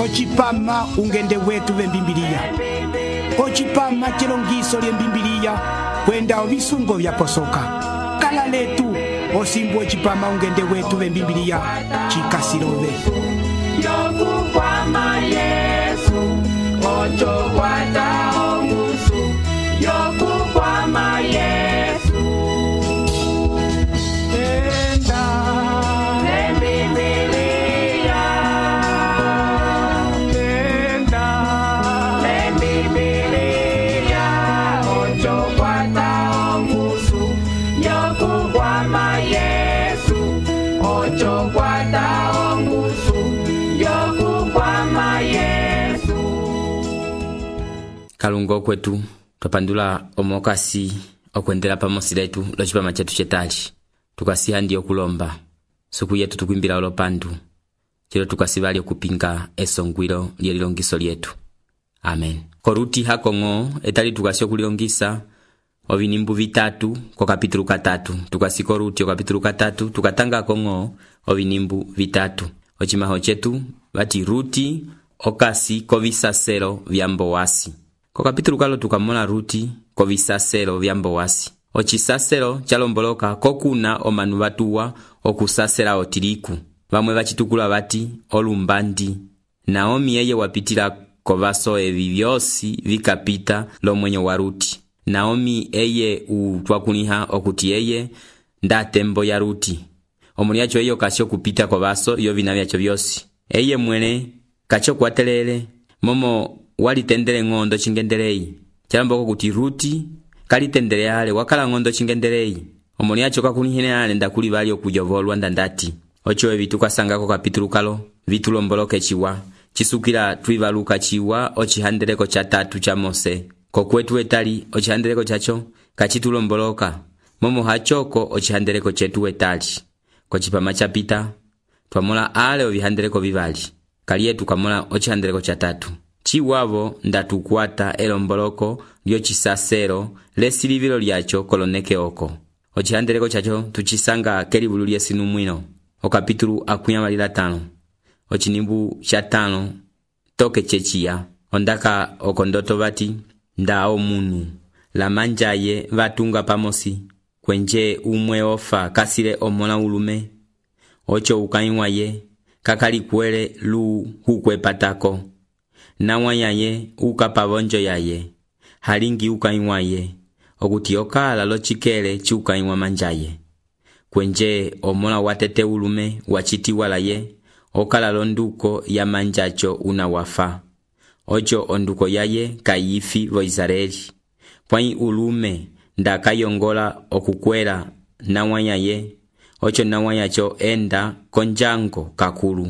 Ochipama ungende wetu vembimbilia. Ochipama chilongiso lyembimbilia kwenda ovisungo vya posoka. Kala letu osimbu ochipama ungende wetu vembimbilia chikasirove. Yokukwama Yesu ocho kwata ongusu. Yokukwama Yesu enda lembibilia. Enda lembibilia ocho kwata ongusu. Yokukwama Yesu ocho kwata ongusu. Yokukwama Yesu. Kalungo kwetu twapandula omokasi okwendela pamosi letu lochipama chetu chetali tukasiha ndiyo kulomba suku yetu tukwimbila olopandu chilo tukasivali okupinga esongwilo lyelilongiso lyetu. Amen. Koruti hakongo etali tukasio kulilongisa ovinimbu vitatu kwa kapitulu 3 tukasiko ruti kapitulu 3 tukatanga kongo ovinimbu vitatu ochimaho chetu bati ruti okasi kovisaselo vyambowasi. Kwa kapitulu kalo tukamona ruti kovisaselo vyambowasi. Ochisaselo chalomboloka kokuna omanu batuwa okusasela otiriku. Bamwe bachitukula bati olumbandi. Naomi yeye wapitila kovaso evi vyosi vikapita lomwenyo wa ruti. Naomi eye utwakuniha okuti yeye ndatembo ya ruti. Omuliacho eyo kasio kupita kovaso iyo vinavyacho vyosi. Eye mwene kacho kwatelele momo walitendele ngondo chingendelei. Chalamboko kuti ruti kalitendele ale wakala ngondo chingendelei. Omuliacho kakunihine ale ndakuli bali okujovolwa ndandati. Ocho evi tukasangako kapitulu kalo vitulomboloke chiwa. Chisukila twivaluka chiwa ochihandeleko cha 3 cha Mose. Kokwetu etali ochihandeleko chacho kachitulomboloka. Momo hachoko ochihandeleko chetu etali. Kochipama chapita twamola ale ovihandeleko vivali. Kaliye tukamola ochihandeleko cha 3. Chiwavo ndatukwata elomboloko lyo chisasero lesilivilo lyacho koloneke oko. Ochihandeleko chacho tuchisanga kelibulu lyesinu mwino. Okapitulu 5. Ochinimbu cha 5 toke chechiya. Ondaka okondoto bati ndao munu. La manjaye vatunga pamosi. Kwenje umwe ofa kasile omona ulume. Ocho ukaiwaye kakali kwele lu hukwepatako. Nawa yaye ukapavonjo yaye. Halingi ukaiwaye. Okuti okala lochikele chukaiwa manjaye. Kwenje omona watete ulume wachiti walaye. Okala londuko ya manjacho unawafa. Ocho onduko yaye kayifi vo Israeli. Pwai ulume ndakayongola okukwela nawa yaye. Ocho nawa yacho enda konjango kakulu.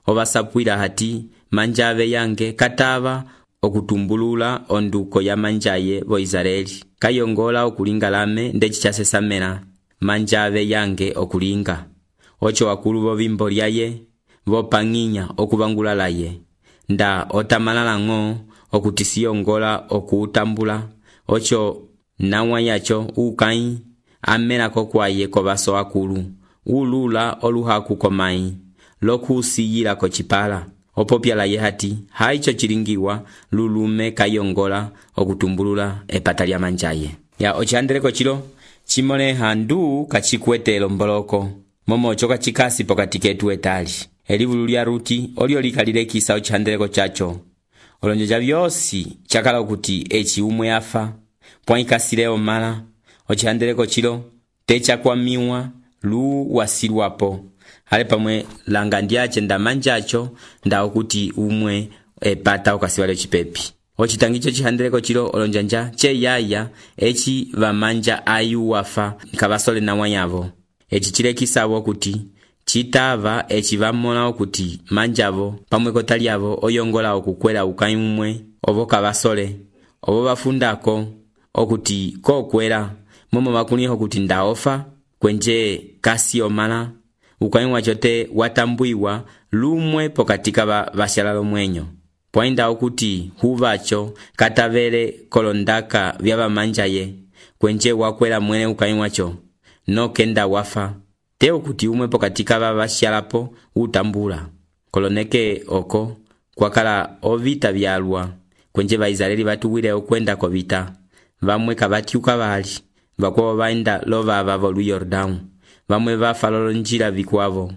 Obasapwila hati manjave yange katava okutumbulula onduko ya manjaye vo Israeli. Kayongola okulinga lame ndechichasesamela manjave yange okulinga. Ocho wakulu vo vimbo lyaye vo panginya okubangula laye. Nda otamalala ngo okutisiyongola okuutambula. Ocho nawa yacho ukai amela kokwaye kovaso akulu. Ulula oluhaku komai lokusiyila kochipala. Opopya laye hati haicho chilingiwa lulume kayongola okutumbulula epata lya manjaye. Ya ochihandeleko chilo chimole handu kachikwete lomboloko. Momo choka chikasi pokati ketu etali. Elivulu lya ruti olio likalilekisa ochihandeleko chacho. Olonjoja vyosi chakala okuti echi umwe afa. Pwaikasile omala. Ochihandeleko chilo techa kwa miwa lu wasilwapo. Hale pamwe langa ndiache ndamanjacho nda okuti umwe epata okasiwale chipepi. Ochitangicho chihandeleko chilo olonjanja che yaya echi vamanja ayu wafa kabasole na wanyavo. Echi chilekisabo okuti chitava echi vamola okuti manjavo pamwe kotaliavo oyongola okukwela ukaimwe obo kabasole obo bafundako okuti kokwela momo bakuniho okuti ndaofa kwenje kasi omala ukaimwa chote watambuiwa lumwe pokatika bashalalo mwenyo. Poinda okuti huvacho katavele kolondaka vyaba manjaye kwenje wakwela mwene ukaimwacho no kenda wafa te okuti umwe pokatika bashalapo utambula koloneke oko kwakala ovita vyalwa, kwenje Vaisraeli vatuwile okwenda kovita. Vamwe kavatyuka vali, vakwavo vaenda lovava volu Yordão. Vamwe vafa lolonjila vikwavo,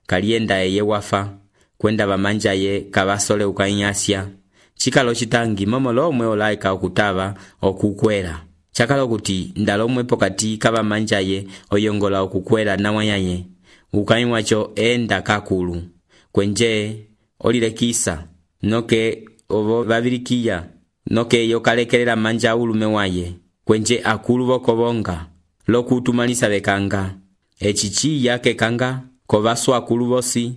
kalienda eye wafa, kwenda vamanja ye kavasole ukainyasya. Chikalo chitangi momo lomwe olaika okutava okukwela. Chakala okuti ndalomwe pokati kavamanja ye oyongola okukwela nawanyaye. Ukainywacho enda kakulu, kwenje olilekisa, noke ovo vavilikiya, noke yokalekelela manja ulume waye, kwenje akulu vokobonga, lokutumalisa vekanga. Echichiya kekanga, kovaswa akulu vosi,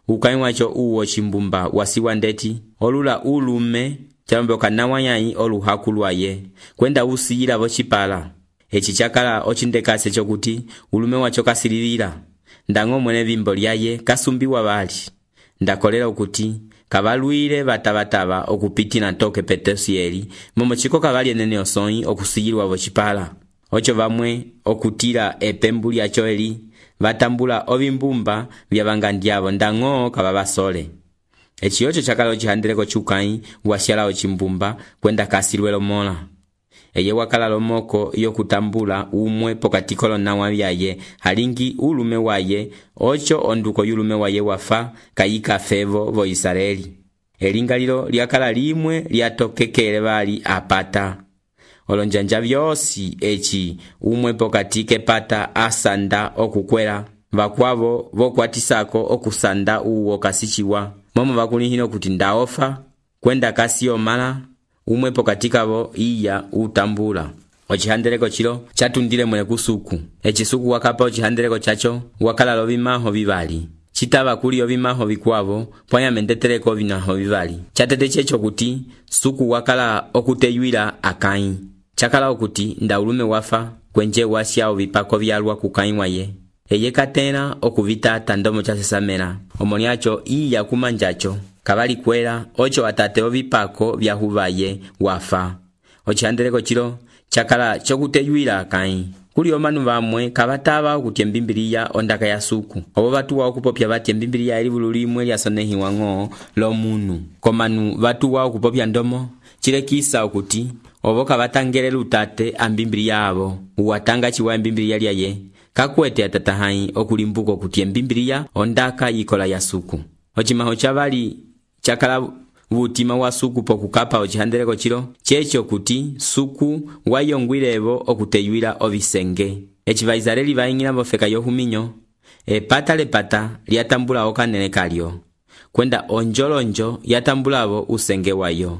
ukainywacho uwo chimbumba wasiwa ndeti, olula ulume, chamboka nawanyayi oluhakulu aye, kwenda usiyila vochipala. Echi chakala ochindekase chokuti ulume wacho kasililila, ndango mwene vimbo lyaye kasumbiwa vali. Ndakolela ukuti kavalwile vatavatava okupiti na toke Petosieli, momo chiko kavali enene osoi okusiyilwa vochipala. Ocho vamwe okutila epembu lyacho eli, vatambula ovimbumba vyavangandyavo ndango kavavasole. Echi ocho chakala ochihandeleko chukai wasyala ochimbumba kwenda kasilwelo mola. Eye wakala lomoko yokutambula umwe pokati kolonawa vyaye, halingi ulume waye, ocho onduko yulume waye wafa kayika fevo vo Israeli. Elingalilo lyakala limwe lyatokekele vali apata. Olonjanja vyosi echi umwe pokati kepata asanda okukwela, vakwavo vokwatisako okusanda uwo kasichiwa. Momo vakulihino kuti ndaofa, kwenda kasiyo mala, umwe pokati kavo iya utambula. Ochihandeleko chilo chatundile mwene kusuku. Echisuku wakapa ochihandeleko chacho wakala lovimaho vivali. Chitava kuli ovimaho vikwavo, pwanya mendeteleko vinaho vivali. Chatete checho kuti suku wakala okuteyuila Akai. Chakala okuti nda ulume wafa, kwenje wasya ovipako vyalwa kukainywa ye. Eye katena okuvita tandomo chasesamela. Omoniacho iya kumanjacho, kavali kwela, ocho atate ovipako vyahuvaye wafa. Ochihandeleko chilo chakala chokuteyuila Akai. Kuli omanu vamwe kavatava okuti embimbiliya ondaka ya suku. Obo vatuwa okupopya vati embimbiliya eli bululimwe lyasonehiwa ng'o lomunu. Komanu vatuwa okupopya ndomo, chilekisa okuti obo kavatangele lutate ambimbiliya abo. Uwatanga chiwa embimbiliya lyaye, kakwete atatahai okulimbuko kuti embimbiliya ondaka yikola ya suku. Ochimaho chavali chakala vutima wa suku pokukapa ochihandeleko chilo, checho kuti suku wayongwilevo okuteyuila ovisenge. Echi Vaisraeli vaingila mofeka yohuminyo, epata lepata lyatambula okanene kalyo, kwenda onjolonjo yatambulavo usenge wayo.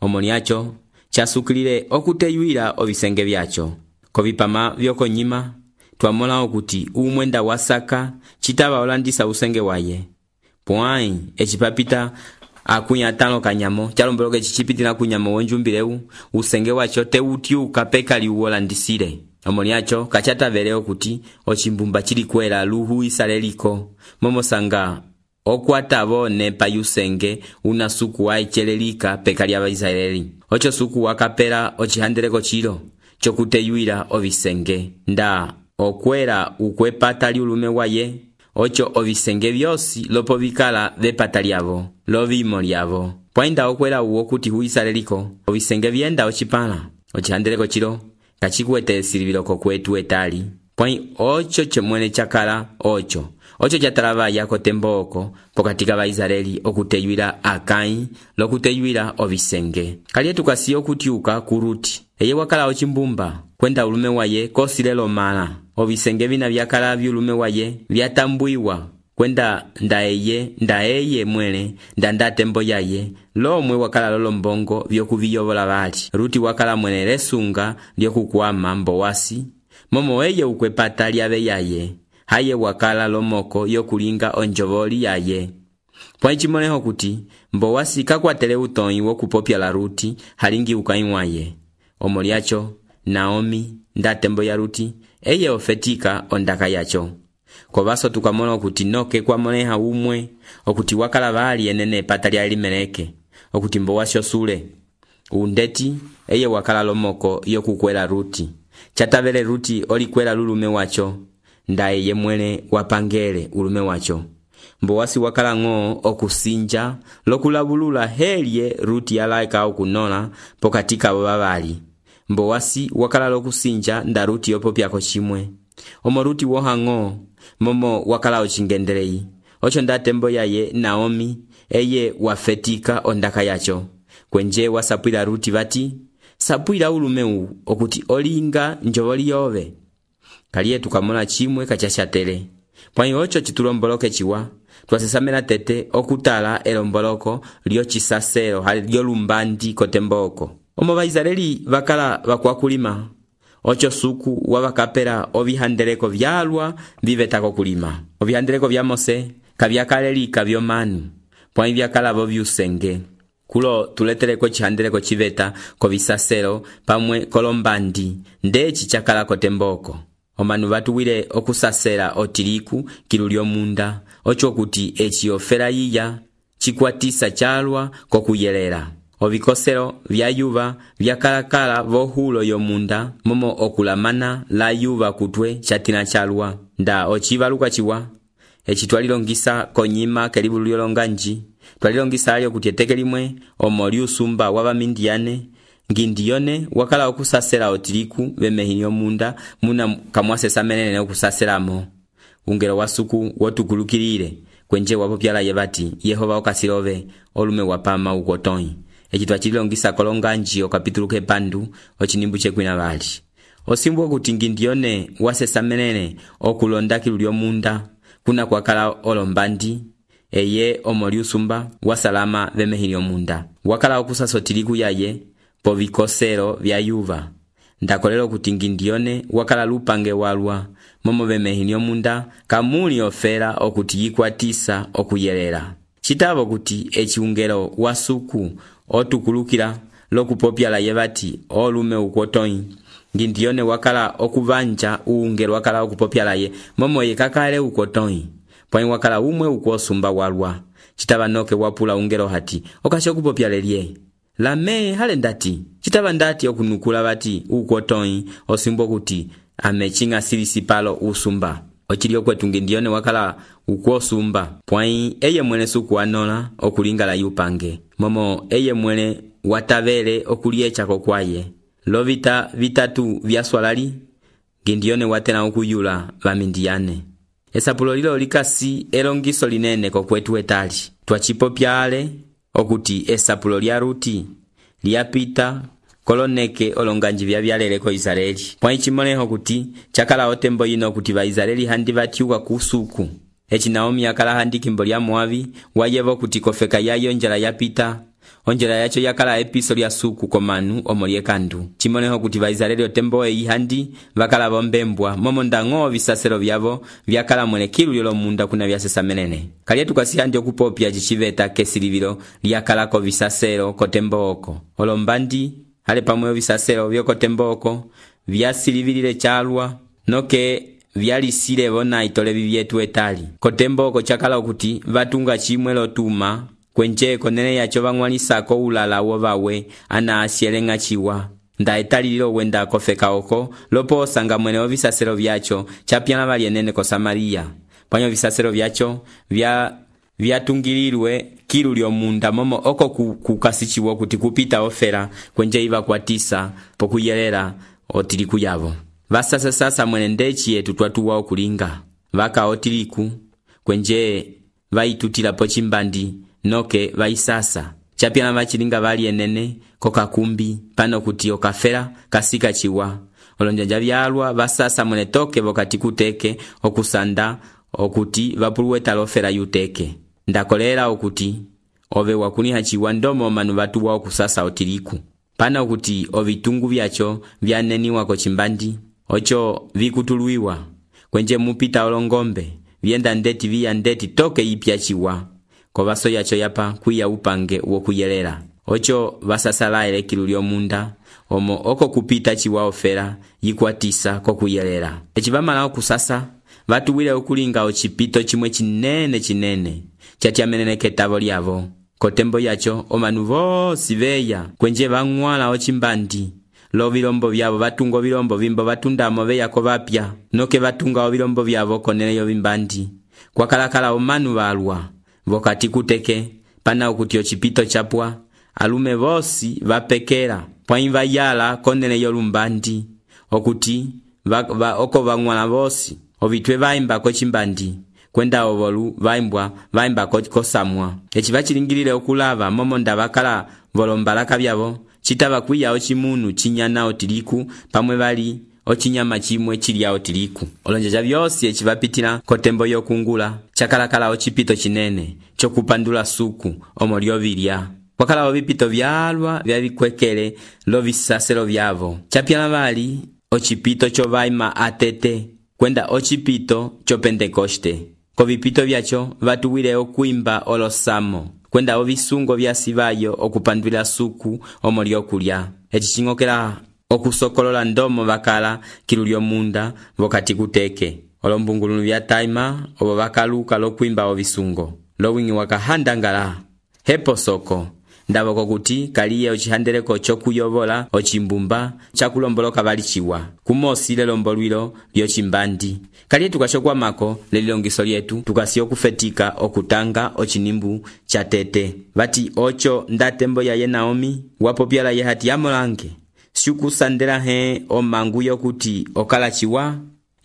Omoniacho chasukilile okuteyuila ovisenge vyacho. Kovipama vyokonyima twamola okuti umwenda wasaka chitava olandisa usenge waye. Pwai echipapita akunyatano kanyamo, chalombeloke chichipitila kunyamo wonjumbileu, usenge wacho teutyuka pekali uwolandisile. Omoniacho kachatavele okuti ochimbumba chilikwela luhu isaleliko, momosanga okwatavo nepa yusenge una suku waichelelika pekali Abaisraeli. Ocho suku wakapela ochihandeleko chilo chokuteyuila ovisenge, nda okwela ukwepata liulume waye, ocho ovisenge vyosi lopo vikala vepata lyavo, lovimo lyavo. Pwainda okwela uwo kuti huisaleliko, ovisenge vyenda ochipala. Ochihandeleko chilo kachikuete esilivilo kokwetu etali. Pwai ocho chemwene chakala ocho chatalava yako temboko pokatika Vaisraeli okuteyuila Akai lokuteyuila ovisenge. Kalietu kasi okutyuka kuruti. Eye wakala ochimbumba, kwenda ulume waye kosilelo mala. Ovisenge vina vyakala vyulume waye vyatambuiwa, kwenda ndaeye mwele nda tembo yaye, lomwe wakala lolombongo vyokuviyovola vali. Ruti wakala mwene lesunga lyokukwama Mbowasi, momo eye ukwepata lyave yaye, haye wakala lomoko yokulinga onjovoli yaye. Pwaichimoneho kuti Mbowasi kakwatele utoi wokupopya la Ruti halingi ukainywaye. Omoliacho Naomi nda tembo ya Ruti eye ofetika ondaka yacho. Kovaso tukamona okuti noke kwamoneha umwe okuti wakala vali enene pata lya Elimeleke, okuti Mbowasi osule undeti eye wakala lomoko yokukwela Ruti. Chatavele Ruti olikwela lulume wacho, nda eye mwene wapangele ulume wacho. mbowasi wakala ng'o okusinja lokulabulula helye Ruti yalaika okunola pokati kabo babali. Mbowasi wakala lokusinja nda Ruti yopopyako chimwe. Omo Ruti woha ng'o momo wakala ochingendelei. Ocho nda tembo yaye Naomi eye wafetika ondaka yacho. Kwenje wasapwila Ruti bati, sapwila ulumeu okuti olinga njovoli yove. Kaliye tukamola chimwe kachashatele. Pwanyi ocho chitulomboloke chiwa, twasesamela tete okutala elomboloko lyo chisaselo hali lyo lumbandi kotemboko. Omo Baisraeli bakala bakwakulima. Ocho suku wabakapela ovihandeleko vyalwa vivetako kulima. Ovihandeleko vya Mose kabyakalelika vyomanu, pwanyi byakala bo byusenge. Kulo tuleteleko chihandeleko chiveta ko visaselo pamwe kolombandi ndechi chakala kotemboko. Omanu batuwile okusasela otiliku kilu lyomunda, ocho kuti echi ofera yiya chikwatisa chalwa kokuyelela. Ovikoselo vya yuva vyakalakala vohulo yomunda momo okulamana la yuva kutwe chatina chalwa. Nda ochivaluka chiwa echi twalilongisa konyima kelibulu lyolonganji, twalilongisa alyo kuti eteke limwe omo lyusumba wabamindiyane ngindiyone wakala okusasela otiliku bemehini yomunda muna kamwasesa menene okusaselamo. Ungelo wasuku wotukulukilile kwenje wapopyala yebati Yehova okasilove olume wapama ukotoi. Echi twachilongisa kolonganji okapitulu kepandu ochinimbu chekwina bali. Osimbu okuti ngindiyone wasesa menene okulonda kilu lyomunda kuna kwakala olombandi eye omoliusumba wasalama bemehini yomunda. Wakala okusasa otiliku yaye po vikoselo vya yuva. Ndakolelo kuti ngindiyone wakala lupange walwa momo bemehini yomunda kamuli ofera okuti yikwatisa okuyelela. Chitavo kuti echi ungelo wasuku otukulukila lokupopyala yebati olume ukotoi. Ngindiyone wakala okuvanja ungelo wakala okupopyala ye momo yekakale ukotoi. Pwanyi wakala umwe ukosumba walwa. Chitava noke wapula ungelo hati okasho kupopyala liye. Lame hale ndati. Chitava ndati okunukula bati ukotoi osimbo kuti amechinga silisipalo usumba. Ochilio kwetu ngindiyone wakala ukosumba. Pwanyi eye mwene suku anola okulingala yupange. Momo eye mwene watavele okuliecha kokwaye. Lovita vitatu vyaswalali ngindiyone watena okuyula bamindiyane. Esapulo lilo likasi elongiso linene kokwetu etali. Twachipopyale okuti esapulo lya Ruti lyapita koloneke olonganji byaleleko Israeli. Pwanyi chimoleho kuti chakala otembo yino kuti Baisraeli handi batyuka kusuku. Echi Naomi yakala handi kimbo lya Moabi wayevo kuti kofeka yayo njala yapita. Onjela yacho yakala episo lya suku komanu omolyekandu. Chimoneho kuti Baisraeli otembo handi bakala bombembwa momo ndango visaselo byabo byakala mwene kilu lyolomunda kuna byasesa menene. Kaliye tukasihandi okupopya chichiveta kesilivilo lyakala ko visaselo kotembo oko. Olombandi hale pamwe visaselo byokotembo oko vyasilivilile chalwa noke vyalisile bona itole bibyetu etali. Kotembo oko chakala okuti vatunga chimwe lotuma kwenje konene yacho bangwalisako ulala wobawe ana asyelenga chiwa. Nda etalililo wenda kofeka oko lopo osanga mwene obisaselo byacho chapyana balyenene ko Samaria. Pwanyo bisaselo byacho vyatungililwe kilu lyomunda momo oko kukasichiwo kuti kupita ofera kwenje iba kwatisa pokuyelela otiliku yabo. Sasa mwene ndechi yetu twatuwa okulinga. Vaka otiliku kwenje vaitutila pochimbandi noke vaisasa. Chapyana vachilinga balyenene kokakumbi pano kuti okafera kasika chiwa. Olonjanja byalwa basasa mwene toke bokati kuteke okusanda okuti vapuluweta lofera yuteke. Ndakolera okuti ove wakuniha chiwa ndomo manu batuwa okusasa otiliku. Pana okuti ovitungu byacho vyaneniwa kochimbandi ocho vikutuluiwa. Kwenje mupita olongombe vyenda ndeti vya ndeti toke ipya chiwa. Kovaso yacho yapa kuya upange wokuyelela. Ocho vasasala elekilu lyomunda omo oko kupita chiwa ofera yikwatisa kokuyelela. Echivamala okusasa vatuwile okulinga ochipito chimwe chinene chatyamenene ketavo lyavo. Kotembo yacho omanu vosi veya kwenje vangwala ochimbandi. Lo vilombo vyavo vatunga vilombo vimbo vatundamo veya kovapya noke vatunga vilombo vyavo konene yo vimbandi. kwakalakala omanu balwa vokati kuteke pana okuti ocipito chapwa alume vosi vapekera pwãyi vayala konele yolumbandi okuti oko vang'wala vosi ovitwe vaimba kocimbandi kwenda ovolu vaimba kosamwa eci vacilingilile okulava momo nda vakala volombalaka vyavo citava kwiya ocimunu cinyana otiliku pamwe vali ocinyama cimwe cilya otiliku olonjanja vyosi eci vapitila kotembo yokungula cakalakala ocipito cinene cokupandula suku omo lyovilya kwakala ovipito vyalwa vyavikwekele lovisaselo vyavo capyala vali ocipito covaima atete kwenda ocipito co Pentekoste kovipito vyaco vatuwile okuimba olosamo kwenda ovisungo vyasivayo okupandwila suku omo lyokulya eci cing'okela okusokolola ndomo vakala kilu lyomunda vokati kuteke olombungulunu vya taima ovo vakaluka lokuimba ovisungo lowing'i wakahandangala hepo soko ndavoko kuti kaliye ocihandeleko cokuyovola ocimbumba cakulomboloka valiciwa kumosile lombolwilo lyocimbandi kaliye tukacokwamako lelilongiso lyetu tukasi okufetika okutanga ocinimbu ca tete vati oco ndatembo yaye Naomi wapopyala ye hati yamolange siukusandela he omangu yokuti okalaciwa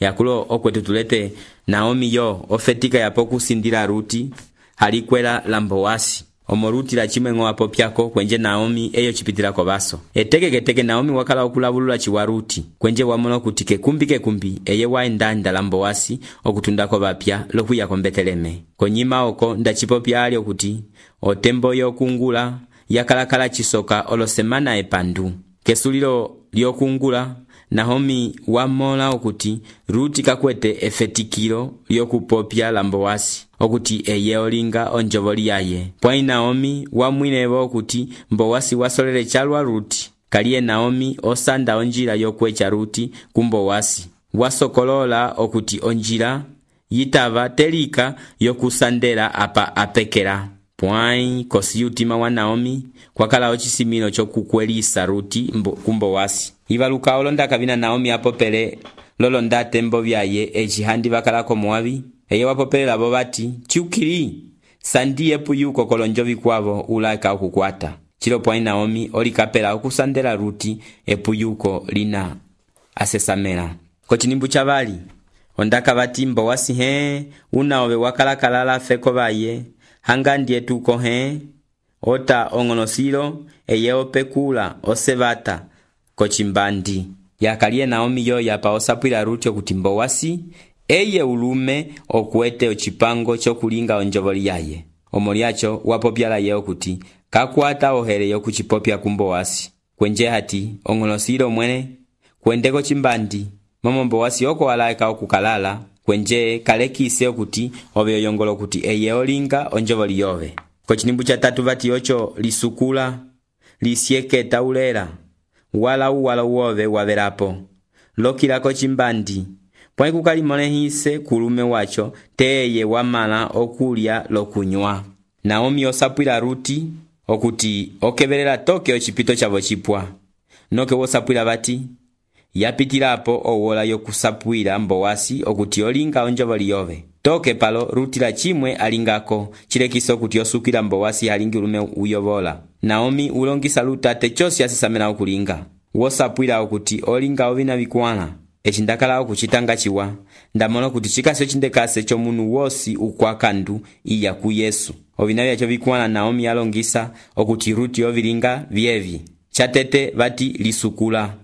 yakulo okwetu tulete Naomi yo ofetika yapo kusindila Ruti halikwela lambowasi omo Ruti la chimwe wapopyako kwenje Naomi eyo cipitila kobaso etekeketeke Naomi wakala okulavulula ciwa Ruti kwenje wamono kuti kekumbi eye waendanda lambowasi okutundako bapya lokuyako Beteleme konyima oko ndacipopya ali okuti otembo yokungula yakalakala cisoka olosemana epandu kesulilo lyokungula Naomi wamola okuti Ruti kakwete efetikilo lyokupopya lambowasi okuti eye olinga onjovoli yaye pwãyi Naomi wamwilevo okuti mbowasi wasolele calwa Ruti kaliye Naomi osanda onjila yokwecha Ruti kumbowasi wasokolola okuti onjila yitava telika yokusandela apa apekela pwãyi kosi utima wa Naomi kwakala ocisimilo cokukwelisa Ruti kumbowasi ivaluka olonda kavina Naomi apopele lolonda tembo vyaye eci handi vakalako Moabi eye wapopelela bo bati ciukili sandiye puyuko kolonjo vikwavo ulaka okukwata cilo pwãyi Naomi olikapela okusandela Ruti epuyuko lina asesamela kocinimbu ca vali ondaka vati mbowasi he unaove wakalakalala feko vaye hanga ndiye tuko he ota ong'onosilo eye opekula osevata kocimbandi yakaliye Naomi yo yapa osapwila Ruti okuti mbowasi eye ulume okuete ocipango cokulinga onjovoli yaye omo lyaco wapopyala ye okuti kakwata ohere yokucipopya kumbowasi kwenje hati ong'onosilo mwene kwendeko cimbandi momo mbowasi oko walaeka okukalala kwenje kalekise okuti ove oyongolo okuti eye olinga onjovoli yove kocinimbu ca tatu vati oco lisukula lisyeketa ulela wala uwove wavelapo lokilako cimbandi pwãyi kukalimolehise kulume waco teye wamala okulya lokunywa Naomi osapwila Ruti okuti okevelela toke ocipito cavo cipwa noke wosapwila vati yapitilapo owola yokusapwila mbowasi okuti olinga onjovoli yove toke palo Ruti la chimwe alingako cilekiso okuti osukila mbowasi halingi ulume uyovola Naomi ulongisa lutate cosi asesamela okulinga wosapwila okuti olinga ovina vikwãla eci ndakala okucitanga ciwa ndamola okuti cikasi ocindekase comunu wosi ukwakandu iya ku Yesu ovina vyaco vikwãla Naomi alongisa okuti Ruti ovilinga vyevi catete vati lisukula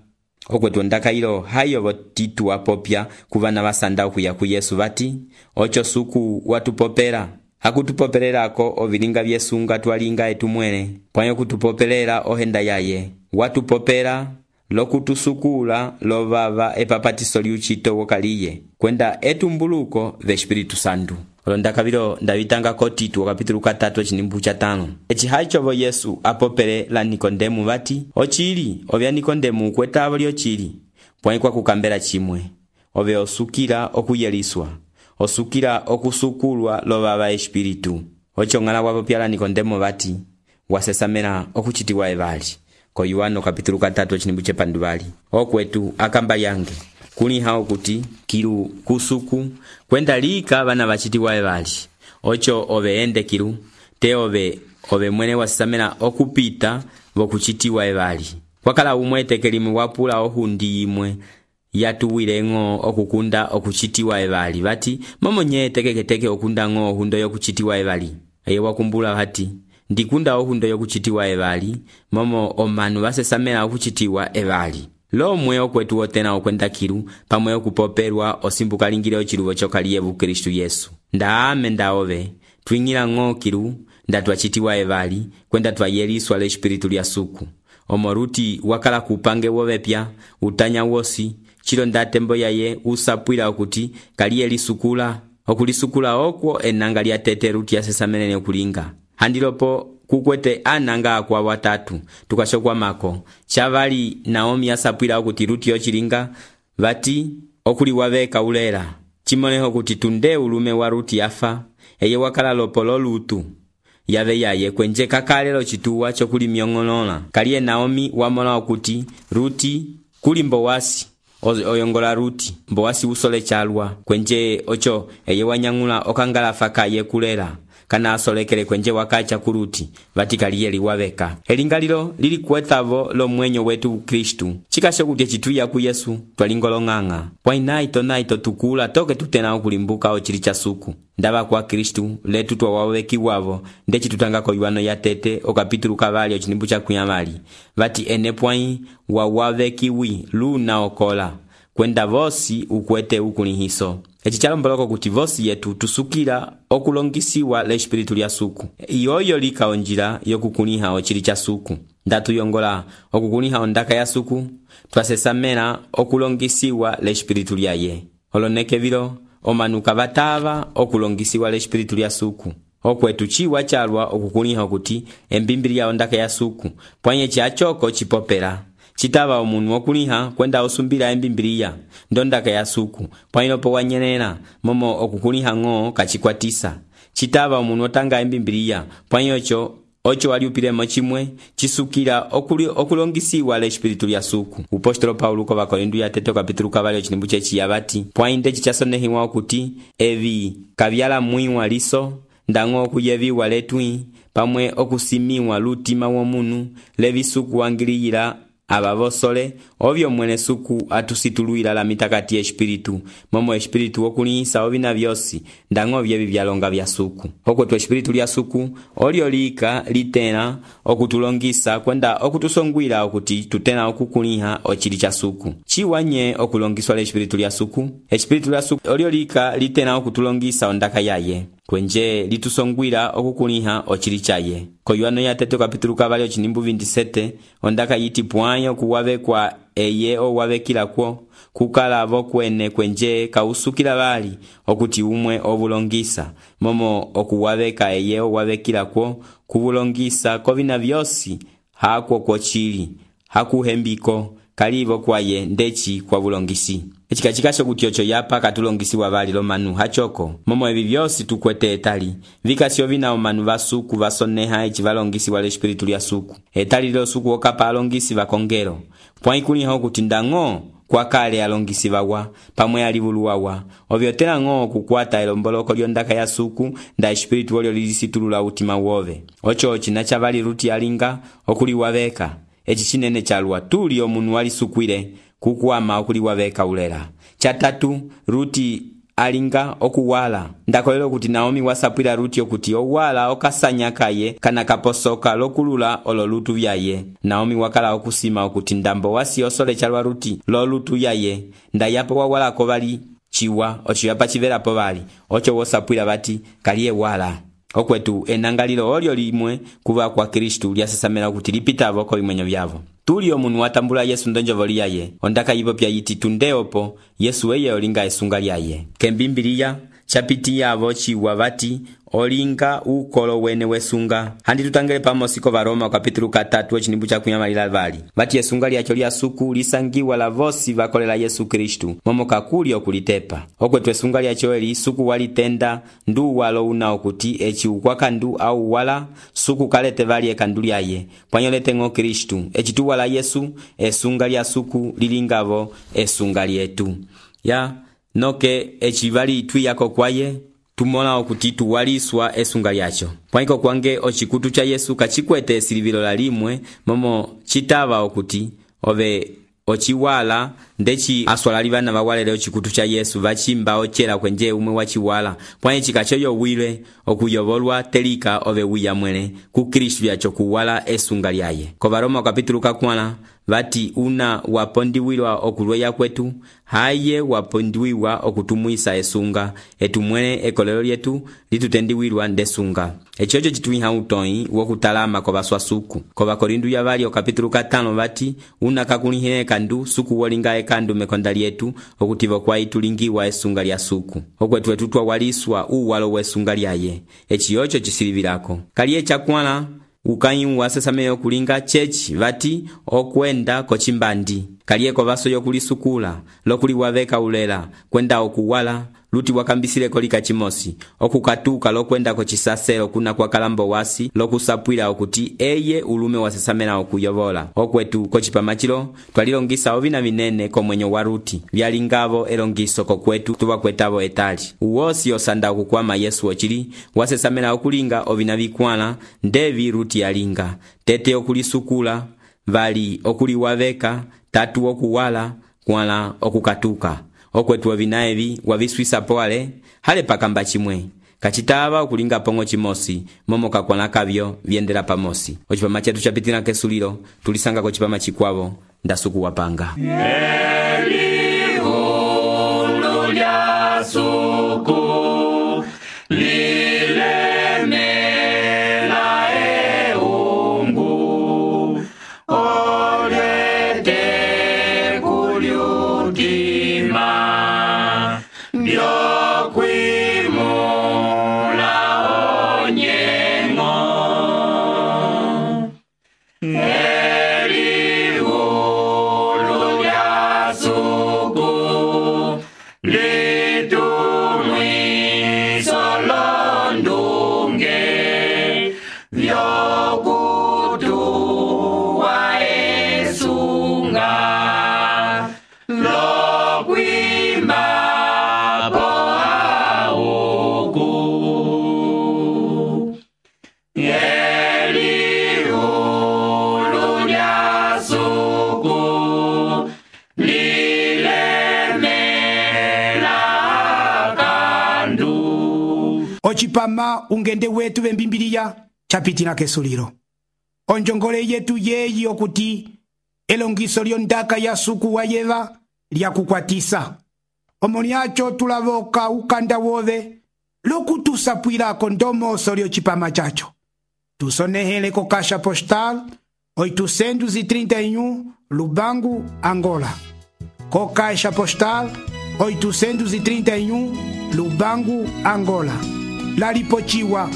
okwetu ondaka ilo hayo votitu wapopya kuvana vasanda okuya ku Yesu vati oco suku watupopela hakutupopelelako ovilinga vyesunga twalinga etumwele pwãyi okutupopelela ohenda yaye watupopela lokutusukula lovava epapatiso liucito wokaliye kwenda etumbuluko v'Espiritu Santu olondaka vilo ndavitanga Titu kapitulu 3 cinimbu ca 5 eci haicovo Yesu apopele la Nikodemu vati ocili ovya Nikodemu kwetavo lyocili pwãyi kwakukambela cimwe ove osukila okuyeliswa osukila okusukulwa lovava Espiritu oco ng'ala wapopyala Nikodemu vati wasesamela okucitiwa evali ko Yohano kapitulu 3 cinimbu cepanduvali okwetu akamba yange kuliha okuti kilu kusuku kwenda lika bana bachitiwa ebali ocho ove ende kilu te ove mwene wasisamela okupita bokuchitiwa ebali kwakala umwe tekelimu wapula ohundi imwe yatuwilengo okukunda okuchitiwa ebali bati momonye tekeketeke okunda ngo hundo yokuchitiwa ebali eye wakumbula hati ndikunda ohundo yokuchitiwa ebali momo omanu basesamela okuchitiwa ebali lomwe okwetu otena okwenda kilu pamwe okupoperwa osimbuka lingile ochilubo chokaliyevu Kristu Yesu ndaame ndaove twingila ngo kilu ndatwachitiwa ebali kwenda twayeliswa le espiritu lya suku omoruti wakala kupange wovepya utanya wosi chilo ndatembo yaye usapwila okuti kaliyelisukula okulisukula okwo enanga lya tete ruti yasesamene okulinga handilopo kukwete ananga kwa watatu tukashokwa mako chavali Naomi asapwila okuti ruti yochilinga bati okuli waveka ulera chimoneho kuti tunde ulume wa ruti yafa eye wakala lopolo lutu yave yaye kwenje kakalelo chituwa chokuli myongolola kaliye Naomi wamola okuti ruti kuli mbowasi oyongola ruti mbowasi usole chalwa kwenje ocho eye wanyangula okangala faka ye kulera kana asolekele kwenje wakacha kuruti vatikaliye liwaveka elingalilo lili kuetavo lo mwenyo wetu Kristu chikasho kuti chituya ku Yesu twalingolonganga naito tukula toke tutena okulimbuka ochili cha suku ndaba kwa Kristu letu twawaweki wavo ndechi tutangako iwano ya tete okapitulu kavali ochinimbu cha kuyamali vati enepwai wawavekiwi luna okola kwenda vosi ukwete ukulihiso echi chalomboloko kuti vosi yetu tusukila okulongisiwa le espiritu lya suku iyoyo lika onjila yokukuliha ochili cha suku ndatuyongola okukuliha ondaka ya suku twasesamela okulongisiwa le espiritu lya ye oloneke vilo omanuka batava okulongisiwa le espiritu lya suku okwetu chiwa chalwa okukuliha okuti embimbili ya ondaka ya suku pwanye chachoko chipopela chitava omunu okuliha kwenda osumbila embimbiliya ndondaka ya suku pwailopo wanyenela momo okukuliha ngo kachikwatisa chitava omunu otanga embimbiliya pwaiocho ocho waliupilemo chimwe chisukila okulongisiwa le espiritu lya suku upostolo Paulo ko Bakorindu ya teto kapitulu kavali ochinimbu chechi yabati pwainde chichasonehiwa okuti evi kavyala mwiwa liso ndango okuyeviwa letwi pamwe okusimiwa lutima womunu levisuku wangiliyila abavosole ovyo mwene suku atusituluila la mitakati espiritu momo espiritu okulihisa ovina vyosi ndango vyevi vyalonga vya suku okwetu espiritu lya suku olio lika litena okutulongisa kwenda okutusongwila okuti tutena okukuliha ochili cha suku chiwanye okulongiswa le espiritu lya suku olio lika litena okutulongisa ondaka yaye kwenje litusongwila okukuliha ochili chaye koyuano ya teto kapitulu kavali ochinimbu 27 ondaka yiti pwanyo kuwavekwa eye owavekila kwo kukala vokwene kwenje kausukila bali okuti umwe obulongisa momo okuwaveka eye owavekila kwo kubulongisa kovina vyosi hakwo kwochili hakuhembiko kalivo kwaye ndechi kwa bulongisi echikachikasho kuti ocho yapa katulongisiwa bali lo manu hachoko momo evi vyosi tukwete etali vikasio vina omanu vasuku vasoneha echi valongisiwa le espiritu lya suku etali lo suku okapa alongisi vakongelo pwaikuliha okuti ndango kwa kale alongisi vawa pamwe alivuluwawa ovyotela ngo kukwata elomboloko lyondaka ya suku nda espiritu olio lilisitulula utima wove ocho chinacha vali ruti alinga okuliwaveka echi chinene chalwa tuli omunu walisukwile kukwama okuliwaveka ulera chatatu ruti alinga okuwala ndakolelo kuti Naomi wasapwila ruti okuti owala okasanya kaye kana kaposoka lokulula olo lutu vyaye Naomi wakala okusima okuti ndambo wasi osole chalwa ruti lo lutu yaye ndayapo wawalako bali chiwa ocho yapa chivelapo bali ocho wosapwila bati kaliye wala okwetu enangalilo olio limwe kuva kwa Kristu lyasesamela kuti lipitavo ko imwenyo vyavo tuli omunu watambula Yesu ndonjovo liyaye ondaka yivo pya yiti tundeopo Yesu eye olinga esunga lyaye kembimbiliya chapiti yavo ciwa vati olinga ukolo wene wesunga. Handi tutangele pamosi ko Varoma kapitulu 3 echinimbu cha kunyamalila vali vati esunga lyacho lya suku lisangiwa la vosi vakolela Yesu Kristu momo kakuli okulitepa okwetu esunga lyacho eli suku walitenda ndu walo una okuti echi ukwakandu au wala suku kalete vali ekandu lyaye pwanyolete ngo Kristu echitu wala Yesu esunga lya suku lilingavo esunga lyetu ya noke echivali twiyako kwaye tumona okuti tuwaliswa esunga lyacho pwaiko kwange ochikutu cha Yesu kachikwete silivilo la limwe momo chitava okuti ove ochiwala ndechi aswalali vana vawalele ochikutu cha Yesu vachimba ochela kwenje umwe wachiwala pwanye chikachoyo wile okuyovolwa telika ove wiyamwele ku Kristu yacho kuwala esunga lyaye. Ko Varoma kapitulu 4 vati una wapondiwilwa okulweya kwetu haye wapondiwiwa okutumuisa esunga etumwele ekolelo lyetu litutendiwilwa ndesunga echocho chituiha utoi wokutalama ko baswasuku. Ko Bakorindu ya vali kapitulu 5 vati una kakulihile kandu suku wolinga ekandu mekonda lyetu okutivo kwa itulingiwa esunga lya suku okwetu etutwa waliswa uwalo wesunga lyaye echiyocho chisilivilako kaliye chakwala ukanyi wasesameyo kulinga chechi vati okwenda kochimbandi kaliye ko vaso yokulisukula lokuliwaveka ulela kwenda okuwala luti wakambisile kolika chimosi okukatuka lokwenda kochisaselo kuna kwa kalambo wasi lokusapwila okuti eye ulume wasesamela okuyovola okwetu kochipamachilo twalilongisa ovina vinene komwenyo wa Ruti vyalingavo elongiso kokwetu tuwakwetavo etali uwosi osanda okukwama Yesu ochili wasesamela okulinga ovina vikwala ndevi Ruti yalinga tete okulisukula vali okuliwaveka tatu okuwala kwala okukatuka okwetu ovina evi waviswisa poale hale pakamba chimwe kachitava okulinga pongo chimosi momo kakwana kavyo vyendela pamosi ochipama chetu chapitina kesulilo tulisanga kochipama chikwavo ndasuku wapanga Eliulu lya suku lilemela eungu olete kuliutima byokwimula onyengo Eliulu lya suku litumwiso londunge vyokutuwa esunga lokwimba poauku Eliulu lya suku lilemela kandu ochipama ungende wetu vembimbiliya chapitina kesulilo onjongole yetu yeyi okuti elongiso lyondaka ya suku wa yeva lyakukwatisa omolyacho tulavoka ukanda wove lokutusapwilako ndomoso lyocipama chacho tusonehele ko Caixa Postal 831 Lubangu, Angola. Co Caixa Postal 831 Lubangu, Angola. Lalipochiwa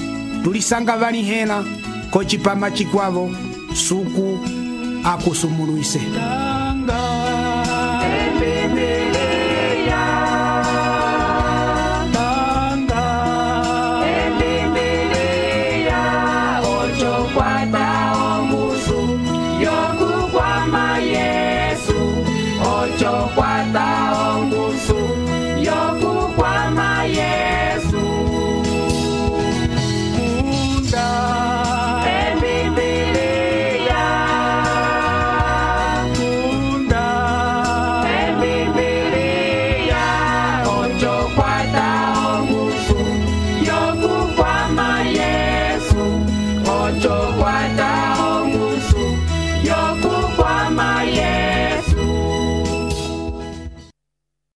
tulisanga vanihela kochipama chikwavo suku akusumuluise. Yokukwama Yesu, ocho kwata